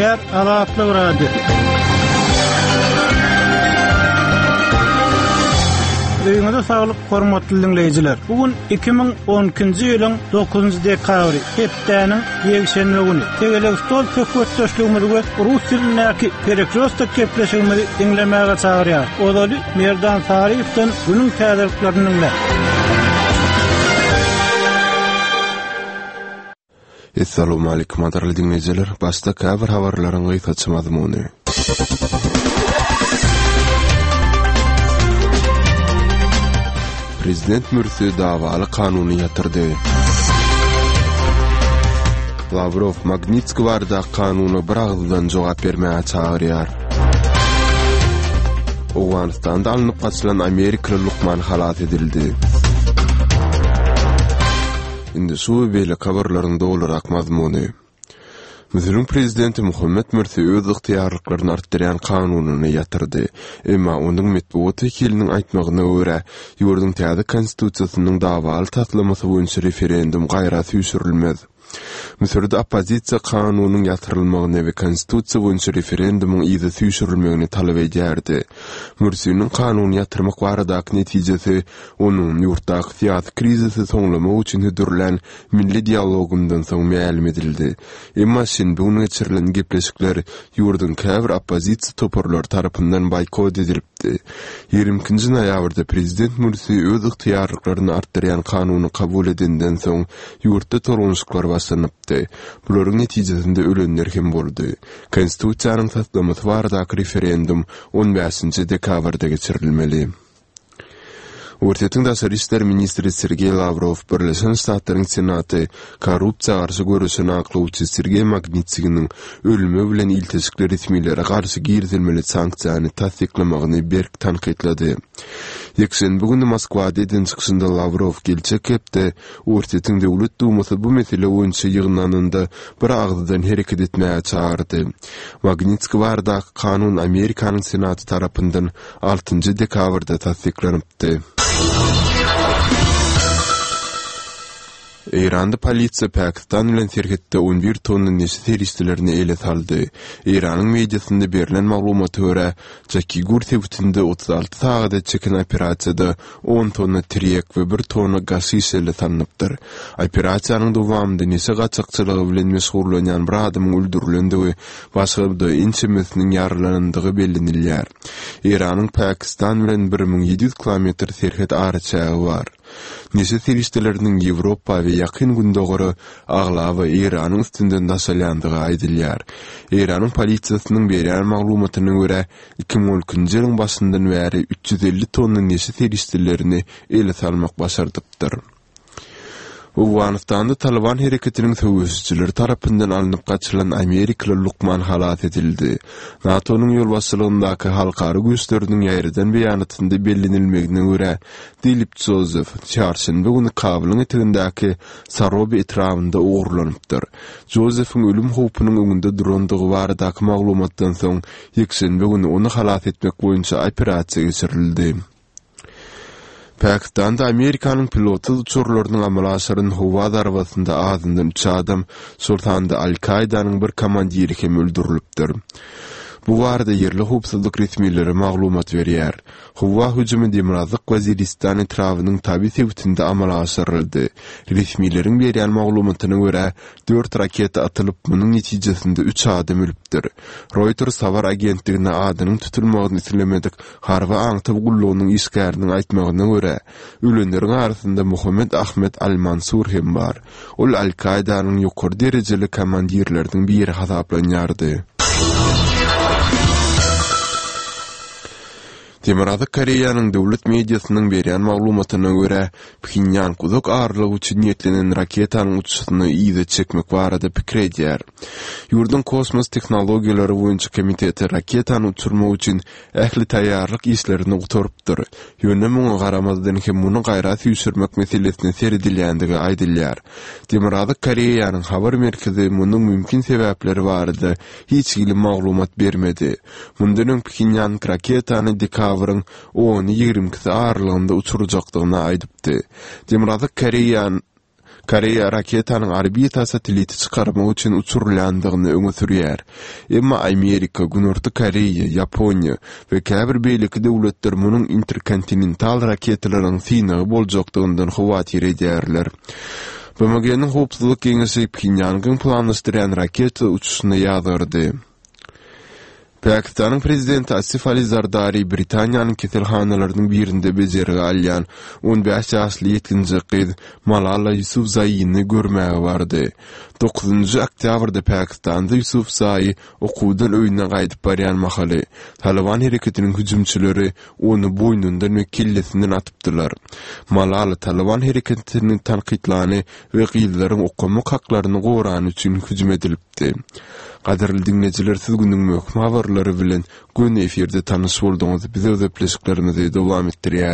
Gepleýär Azatlyk Radiosy. Öýüňize saglyk, hormatly diňleýjiler! Bu gün 2012-nji ýylyň 9-njy dekabry, hepdäniň ýekşenbe güni. Tegelek stol söhbetdeşligimizi we rus dilindäki Perekrýostok gepleşigimizi diňlemäge çagyrýarys. Ozaly Merdan Saryýewden günüň täzeliklerini diňläň. Essalowmalikim gadyrly diňleýjiler! Başda käbir habarlaryň gysgaça mazmuny. Prezident Mürsi dawaly kanuny ýatyrdy. Lawrow Magnitskiý baradaky kanuna bir agyzdan jogap bermäge çagyrýar. Owganystanda alnyp gaçylan amerikaly lukman halas edildi. Indi şu we beýleki habarlaryň dolurak mazmuny. Müsüriň prezidenti Muhammet Mürsi öz ygtyýarlyklaryny artdyrýan kanunyny ýatyrdy. Emma onuň metbugat wekiliniň aýtmagyna görä, ýurduň täze konstitusiýasynyň dawaly taslamasy boýunça referendum gaýra süýşürilmez. Müsürde oppozisiýa kanunyň ýatyrylmagyny we konstitusiýa boýunça referendumyň yza süýşürilmegini talap edýärdi. Mürsiniň kanuny ýatyrmak baradaky netijesi onuň ýurtdaky syýasy krizisi soňlamak üçin hödürlän milli dialogyndan soň mälim edildi. Emma şenbe güni geçirilen gepleşikler ýurduň käbir oppozisiýa toparlary tarapyndan boýkot edilipdi. 22-nji noýabrda prezident Mürsi öz ygtyýarlyklaryny artdyrýan kanuny kabul edenden soň ýurtda tolgunyşyklar başlanypdy. Bularyň netijesinde ölenler hem boldy. Konstitusiýanyň taslamasy baradaky referendum on bäşinji dekabrda geçirilmeli. Orsýetiň daşary işler ministri Sergeý Lawrow Birleşen Ştatlaryň Senaty korrupsiýa garşy göreşen aklawçy Sergeý Magnitskiniň ölümi bilen ilteşikli resmilere garşy girizilmeli sanksiýany tassyklamagyny berk tankytlady. Ýekşenbe güni Moskwada eden çykyşynda Lawrow geljek hepde Orsýetiň Döwlet Dumasy bu mesele boýunça ýygnananda bir agyzdan hereket etmäge çagyrdy. Magnitskiý baradaky kanun Amerikanyň Senaty tarapyndan altynjy dekabrda tassyklanypdy. Eýranda polisiýa Pakistan bilen serhetde on bir tonna neşe serişdelerini ele saldy. Eýranyň mediasynda berlen maglumata görä, Jakigur sebitinde 36 sagada çeken operasiýada on tonna tirýek we bir tonna gaşiş ele salnypdyr. Operasiýanyň dowamynda neşe gaçakçylygy bilen meşgullanýan bir adamyň öldürilendigi, başga-da ençemesiniň ýaralanandygy bellenilýär. Eýranyň Pakistan bilen 1700 kilometr serhet araçägi bar. Neşe serişdeleriniň Ýewropa we Ýakyn Gündogara aglaba Eýranyň üstünden daşalýandygy aýdylýar. Eýranyň polisiýasynyň berýän maglumatyna görä, 2012-nji ýylyň başyndan bäri 350 tonna neşe serişdelerini ele salmak başardypdyr. Owganystanda Talyban hereketiniň söweşijileri tarapyndan alnyp gaçylan amerikaly lukman halas edildi. NATO-nyň ýolbaşçylygyndaky halkara güýçleriniň ýaýradan beýanatynda bellenilmegine görä, Dilip Jozef çarşenbe güni Kabulyň etegindäki Sarobi etrabynda ogurlanypdyr. Jozefiň ölüm howpunyň öňünde durandygy baradaky maglumatdan soň, ýekşenbe güni ony halas etmek boýunça operasiýa geçirildi. Pakistanda Amerikanyň pilotsyz uçarlarynyň amala aşyran howa zarbasynda azyndan üç adam, şol sanda Al-Kaidanyň bir komandiri hem öldürilipdir. Bu barada ýerli howpsuzlyk resmileri maglumat berýär. Howa hüjümi Demirgazyk Waziristan etrabynyň Tabi sebitinde amala aşyryldy. Resmileriň berýän maglumatyna görä, dört raketa atylyp, munuň netijesinde üç adam ölüpdir. Reuters habar agentligine adynyň tutulmagyny islemedik Harby aňtaw gullugynyň işgäriniň aýtmagyna görä, ölenleriň arasynda Muhammet Ahmed al-Mansur hem bar. Ol Al-Kaidanyň ýokary derejeli komandirleriniň biri hasaplanýardy. Demirgazyk Koreýanyň döwlet mediasynyň berýän maglumatyna görä, Phenýang uzak aralyk üçin niýetlenen raketanyň uçuşyny yza çekmek barada pikir edýär. Ýurduň kosmos tehnologiýalary boýunça komiteti raketany uçurmak üçin ähli taýýarlyk işlerini gutarypdyr. Ýöne muňa garamazdan hem muny gaýra süýşürmek meselesine seredilýändigi aýdylýar. Demirgazyk Koreýanyň habar merkezi munuň mümkin sebäpleri barada hiç hili maglumat bermedi. Mundan öň Phenýang raketany dekabryň ony-ýigrimi ikisi aralygynda uçurjakdygyny aýdypdy. Demirgazyk Koreýa. Koreýa raketanyň orbita satelliti çykarmak üçin uçurylýandygyny öňe sürýär. Emma Amerika, Günorta Koreýa, Ýaponiýa we käbir beýleki döwletler munuň interkontinental raketalaryň synagy boljakdygyndan howatyr edýärler. BMG-niň Howpsuzlyk Geňeşi Phenýangyň planlaşdyrýan raketa uçuşyny ýazgardy. Pakistanyň prezidenti Asif Ali Zardari Britaniýanyň keselhanalarynyň birinde bejergi alýan 15 ýaşly ýetginjek gyz Malala Ýusufzaini görmäge bardy. Dokuzynjy oktýabrda Pakistanda Ýusufzai okuwdan öýüne gaýdyp barýan mahaly, Talyban hereketiniň hüjümçileri ony boýnundan we kellesinden atypdylar. Malala Talyban hereketini tankytlany we gyzlaryň okamak haklaryny gorany üçin hüjüm edilipdi. Gadyrly diňleýjiler siz günüň möhüm habarlary bilen göni efirde tanyş bolduňyz. Biz öz gepleşiklerimizi dowam etdirýäris.